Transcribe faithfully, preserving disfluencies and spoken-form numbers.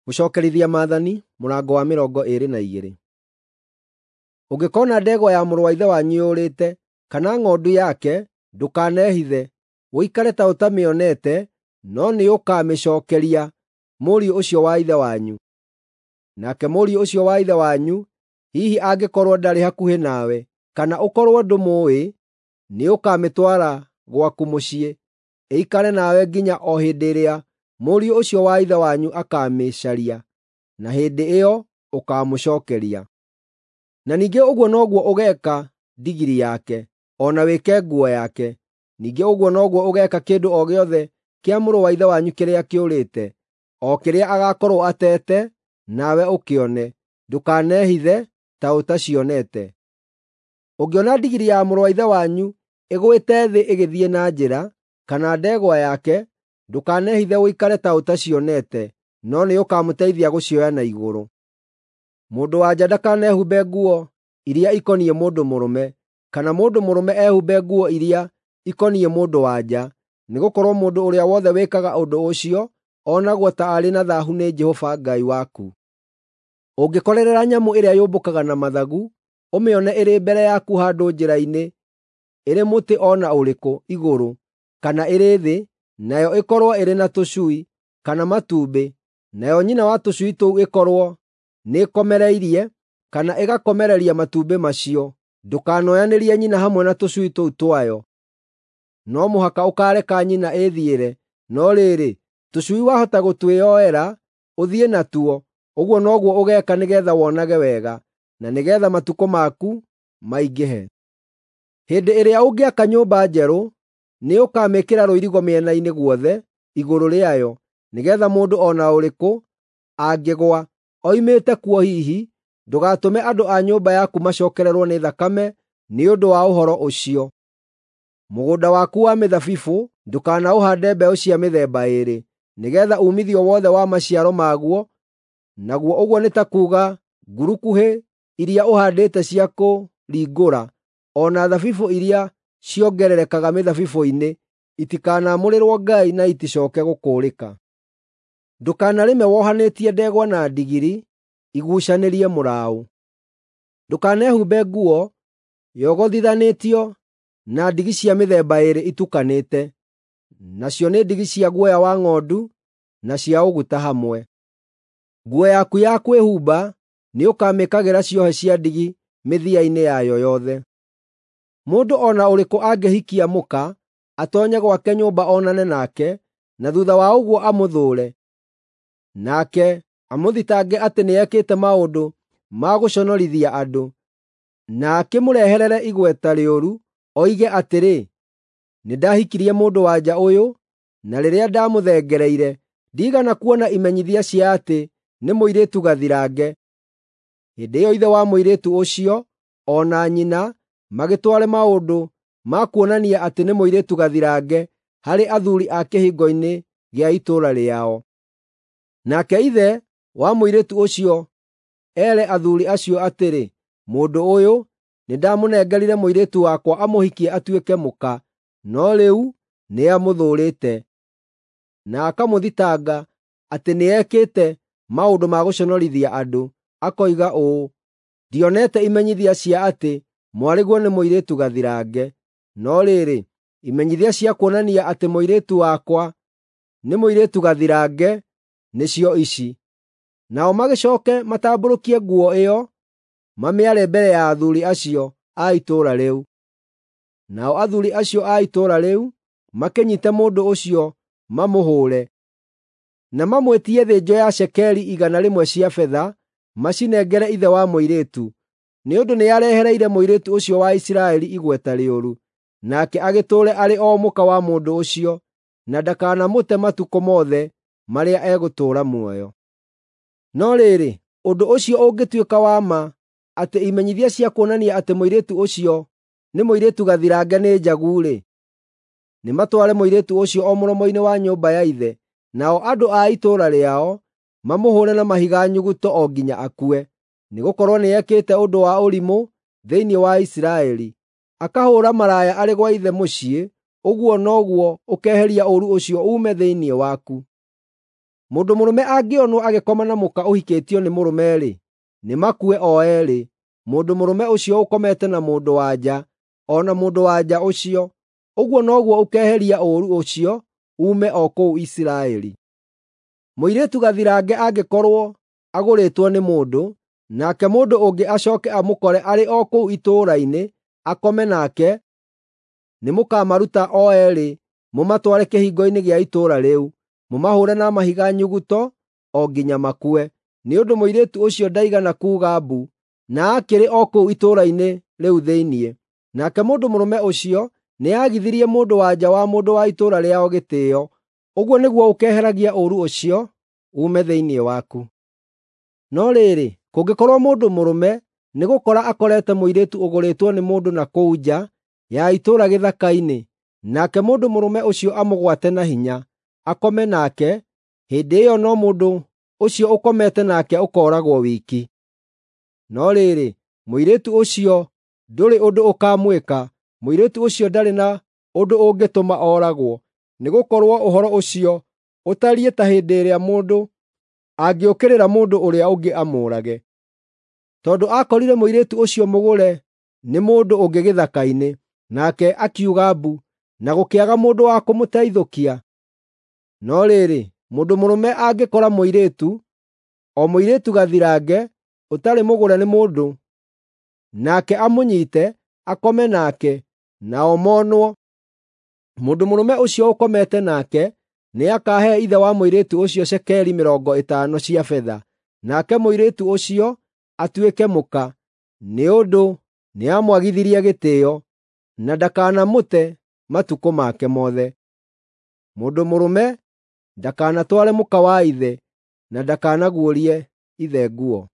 Gũcookerithia Maathani mũrango wa mĩrongo ĩĩrĩ na igĩrĩ. Ũngĩkoona ndegwa ya mũrũ wa ithe wanyu yũrĩte, kana ng'ondu yake, ndũkanehithe, ũikare ta ũtamĩonete, no nĩũkamĩcookeria mũriũ ũcio wa ithe wanyu. Nake mũriũ ũcio wa ithe wanyu, hihi angĩkorwo ndarĩ hakuhĩ nawe, kana ũkorwo ndũmũũĩ, nĩũkamĩtwara gwaku mũciĩ, ĩikare nawe nginya o hĩndĩ ĩrĩa mũriũ ũcio wa ithe wanyu akaamĩcaria, na hĩndĩ ĩyo ũkaamũcookeria. Na ningĩ ũguo noguo ũgeeka ndigiri yake, o na wĩke nguo yake. Ningĩ ũguo noguo ũgeeka kĩndũ o gĩothe kĩa mũrũ wa ithe wanyu kĩrĩa kĩũrĩte, o kĩrĩa agaakorwo ateete, nawe ũkĩone. Ndũkanehithe ta ũtacionete. Ũngĩona ndigiri ya mũrũ wa ithe wanyu ĩgũĩte thĩ ĩgĩthiĩ na njĩra, kana ndegwa yake, ndũkanehithe ũikare ta ũtacionete, no nĩũkamũteithia gũcioya na igũrũ. Mũndũ-wa-nja ndakanehumbe nguo iria ikoniĩ mũndũ mũrũme, kana mũndũ mũrũme ehumbe nguo iria ikoniĩ mũndũ-wa-nja, nĩgũkorwo mũndũ ũrĩa wothe wĩkaga ũndũ ũcio onagwo ta arĩ na thaahu nĩ Jehova Ngai waku. Ũngĩkorerera nyamũ ĩrĩa yũmbũkaga na mathagu, ũmĩone ĩrĩ mbere yaku handũ njĩra-inĩ, ĩrĩ mũtĩ o na ũrĩkũ igũrũ kana ĩrĩ thĩ, nayo ĩkorwo ĩrĩ na tũcui kana matumbĩ, nayo nyina wa tũcui tũu ĩkorwo nĩĩkomereirie kana ĩgakomereria matumbĩ macio, ndũkanoyanĩrie nyina hamwe na tũcui tũu twayo. No mũhaka ũkaareka nyina ĩĩthiĩre, no rĩrĩ, tũcui wahota gũtwĩoera ũthiĩ natuo. Ũguo noguo ũgeeka nĩgeetha wonage wega, na nĩgeetha matukũ maku maingĩhe. Hĩndĩ ĩrĩa ũngĩaka nyũmba njerũ, nĩũkamĩĩkĩra rũirigo mĩena-inĩ guothe igũrũ rĩayo, nĩgeetha mũndũ o na ũrĩkũ angĩgũa oimĩte kuo hihi, ndũgatũme andũ a nyũmba yaku macookererwo nĩ thakame nĩ ũndũ wa ũhoro ũcio. Mũgũnda waku wa mĩthabibũ ndũkanaũhaande mbeũ cia mĩthemba ĩĩrĩ, nĩgeetha uumithio wothe wa maciaro maguo, naguo ũguo nĩ ta kuuga ngurukuhĩ iria ũhaandĩte cia kũringũra, o na thabibũ iria ciongererekaga mĩthabibũ-inĩ, itikanamũrĩrwo Ngai na iticooke gũkũũrĩka. Ndũkanarĩme wohanĩtie ndegwa na ndigiri iguucanĩrie mũraũ. Ndũkanehumbe nguo yogothithanĩtio na ndigi cia mĩthemba ĩĩrĩ itukanĩte, nacio nĩ ndigi cia guoya wa ng'ondu na cia ũguta hamwe. Nguo yaku ya kwĩhumba nĩũkamĩĩkagĩra ciohe cia ndigi mĩthia-inĩ yayo yothe. Mũndũ o na ũrĩkũ angĩhikia mũka, atoonye gwake nyũmba onane nake, na thuutha wa ũguo amũthũũre, nake amũthitange atĩ nĩekĩte maũndũ ma gũconorithia andũ, na akĩmũreherere igweta rĩũru, oige atĩrĩ, “Nĩndahikirie mũndũ-wa-nja ũyũ, na rĩrĩa ndamũthengereire, ndiigana kuona imenyithia cia atĩ nĩ mũirĩtu gathirange.” Hĩndĩ ĩyo ithe wa mũirĩtu ũcio o na nyina magĩtware maũndũ ma kuonania atĩ nĩ mũirĩtu gathirange harĩ athuuri a kĩhingo-inĩ gĩa itũũra rĩao. Nake ithe wa mũirĩtu ũcio ere athuuri acio atĩrĩ, “Mũndũ ũyũ nĩndamũnengerire mũirĩtu wakwa amũhikie atuĩke mũka, no rĩu nĩamũthũũrĩte, na akamũthitanga atĩ nĩekĩte maũndũ ma gũconorithia andũ, akoiga ũũ, ‘Ndionete imenyithia cia atĩ mwarĩguo nĩ mũirĩtu gathirange.’ No rĩrĩ, imenyithia cia kuonania atĩ mũirĩtu wakwa nĩ mũirĩtu gathirange nĩcio ici.” Nao magĩcooke matambũrũkie nguo ĩyo mamĩare mbere ya athuuri acio a itũũra rĩu. Nao athuuri acio a itũũra rĩu makĩnyiite mũndũ ũcio mamũhũũre, na mamwĩtie thĩnjo ya cekeri igana rĩmwe cia betha macinengere ithe wa mũirĩtu, nĩ ũndũ nĩarehereire mũirĩtu ũcio wa Isiraeli igweta rĩũru, nake agĩtũũre arĩ o mũka wa mũndũ ũcio, na ndakanamũte matukũ mothe marĩa egũtũũra muoyo. No rĩrĩ, ũndũ ũcio ũngĩtuĩka wa ma atĩ imenyithia cia kuonania atĩ mũirĩtu ũcio nĩ mũirĩtu gathirange nĩ njagu-rĩ, nĩmatware mũirĩtu ũcio o mũromo-inĩ wa nyũmba ya ithe, nao andũ a itũũra rĩao mamũhũũre na mahiga nyuguto o nginya akue, nĩgũkorwo nĩekĩte ũndũ wa ũrimũ thĩinĩ wa Isiraeli, akahũũra maraya arĩ gwa ithe mũciĩ. Ũguo noguo ũkeheria ũũru ũcio uume thĩinĩ waku. Mũndũ mũrũme angĩonwo agĩkoma na mũka ũhikĩtio nĩ mũrũme-rĩ, nĩmakue o eerĩ, mũndũ mũrũme ũcio ũkomete na mũndũ-wa-nja, o na mũndũ-wa-nja ũcio. Ũguo noguo ũkeheria ũũru ũcio uume o kũu Isiraeli. Mũirĩtu gathirange angĩkorwo agũrĩtwo nĩ mũndũ, nake mũndũ ũngĩ acooke amũkore arĩ o kũu itũũra-inĩ akome nake, nĩmũkamaruta o eerĩ mũmatware kĩhingo-inĩ gĩa itũũra rĩu, mũmahũũre na mahiga nyuguto o nginya makue, nĩ ũndũ mũirĩtu ũcio ndaigana kuuga mbu, na aakĩrĩ o kũu itũũra-inĩ rĩu thĩinĩ. Nake mũndũ mũrũme ũcio nĩagithirie mũndũ-wa-nja wa mũndũ wa itũũra rĩao gĩtĩĩo. Ũguo nĩguo ũkeeheragia ũũru ũcio uume thĩinĩ waku. No rĩrĩ, kũngĩkorwo mũndũ mũrũme nĩgũkora akorete mũirĩtu ũgũrĩtwo nĩ mũndũ na kũu nja ya itũũra gĩthaka-inĩ, nake mũndũ mũrũme ũcio amũgwate na hinya, akome nake, hĩndĩ ĩyo no mũndũ ũcio ũkomete nake ũkooragwo wiki. No rĩrĩ, mũirĩtu ũcio ndũrĩ ũndũ ũkaamwĩka, mũirĩtu ũcio ndarĩ na ũndũ ũngĩtũma ooragwo, nĩgũkorwo ũhoro ũcio ũtariĩ ta hĩndĩ ĩrĩa mũndũ angĩũkĩrĩra mũndũ ũrĩa ũngĩ amũũrage. Tondũ aakorire mũirĩtu ũcio mũgũre nĩ mũndũ ũngĩ gĩthaka-inĩ, nake akiuga mbu, na gũkĩaga mũndũ wa kũmũteithũkia. No rĩrĩ, mũndũ mũrũme angĩkora mũirĩtu, o mũirĩtu gathirange, ũtarĩ mũgũre nĩ mũndũ, nake amũnyiite, akome nake, nao monwo, mũndũ mũrũme ũcio ũkomete nake nĩakahe ithe wa mũirĩtu ũcio cekeri mĩrongo ĩtano cia betha, nake mũirĩtu ũcio atuĩke mũka, nĩ ũndũ nĩamwagithirie gĩtĩĩo, na ndakanamũte matukũ make mothe. Mũndũ mũrũme ndakanatware mũka wa ithe, na ndakanaguũrie ithe nguo.